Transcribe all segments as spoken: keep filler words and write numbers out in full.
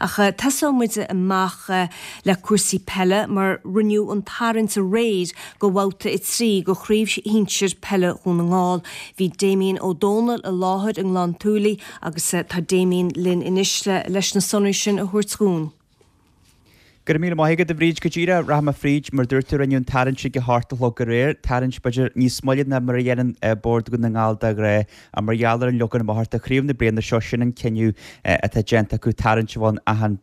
Ach tosóidh muid amach le cúrsaí peile mar rinneadh an tarraingt aréir do bhabhta a trí de Chraobh Shinsir Peile Dhún na nGall. Bhí Damien Ó Dónaill i láthair i nGleann tSúilí agus tá Damien linn anois leis na sonraí sin a thabhairt dhúinn. Go raibh míle maith agat a Bhríd go díreach rachaidh mé fríd mar dúirt tú rinneadh an tarraingt ag a hocht a chlog aréir, tarraingt b'fhéidir níos moille ná mar a dhéanann Bord Dhún na nGall de ghnáth ach mar gheall ar an leagan amach do chraobh na bliana seo sin an cinneadh atá déanta acu tarraingt a bheith ann achan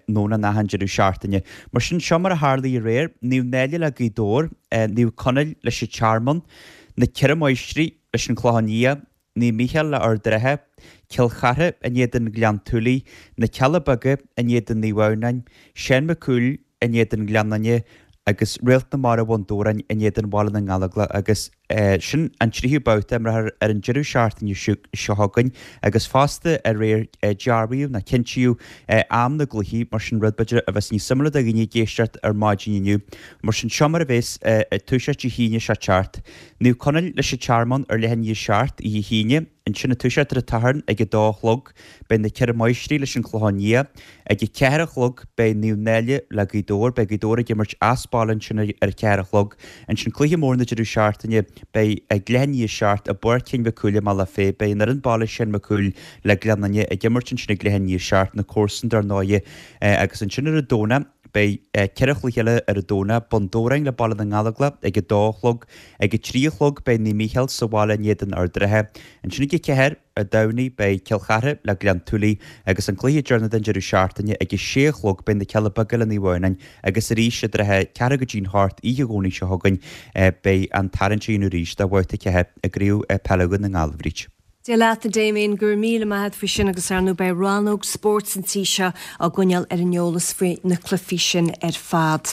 Domhnach achan deireadh seachtaine. Mar sin seo mar a tharlaigh aréir, Naomh Náille le Gaoth Dobhair, Naomh Conaill leis an Tearmann, na Ceithre Máistrí leis an Chlochán Liath, Naomh Mícheál le Ard an Rátha, Cill Chartha in éadan Ghleann tSúilí, Na Cealla Beaga in éadan Naomh Adhamhnáin, Seán Mac Cumhaill in éadan Ghleann Fhinne agus Réalt na Mara Bhun Dobhráin in éadan Bhaile na nGallóglach agus sin an tríú babhta imeartha ar an deireadh seachtaine seo chugainn agus fosta aréir dearbhaíodh nó cinntíodh am na gcluichí mar sin rud b'fhéidir a bheas níos suimiúla do dhaoine ag éisteacht ar maidin inniu. Mar sin seo mar a bheas ag toiseacht Dé hAoine seo teacht. Naomh Conaill leis an Tearmann ar leath i ndiaidh a seacht oíche hAoine, ansin ag toiseacht ar an tSatharn ag a dó a chlog beidh na Ceithre Máistrí leis an Chlochán Liath. Ag a ceathair a chlog beidh Naomh Náille le Gaoth Dobhair, beidh Gaoth Dobhair ag imirt as baile ansin ar a ceathair a chlog. Ansin cluiche mór na deireadh seachtaine beidh ag leath i ndiaidh a seacht i bPáirc Sheáin Mhic Cumhaill i mBealach Féich, beidh an fhoireann baile Seán Mac Cumhaill le Gleann Fhinne ag imirt ansin ag leath i ndiaidh a seacht, na comharsana dar ndóighe agus ansin ar an Domhnach Beidh ceithre chluiche eile ar an Domhnach, Bun Dobhráin le Baile na nGallóglach ag a dó a chlog. Ag a trí a chlog beidh Naomh Mícheál sa bhaile in éadan Ard an Rátha. Ansin ag a ceathair, ar Domhnaigh, beidh Cill Chartha le Gleann tSúilí agus an cluiche deireanach den deireadh seachtaine ag a sé a chlog beidh na Cealla Beaga le Naomh Adhamhnáin agus arís i dtrátha ceathrú go dtí'n hocht oíche Dhomhnaigh seo chugainn beidh an tarraingt á dhéanamh arís do bhabhta a ceathair i gCraobh Peile Dhún na nGall, a Bhríd. Dia leat a Damien, go raibh míle maith a't faoi sin agus ar ndóigh beidh rannóg spóirt an tí seo á gcoinneáil ar an eolas faoi na cluichí sin ar fad.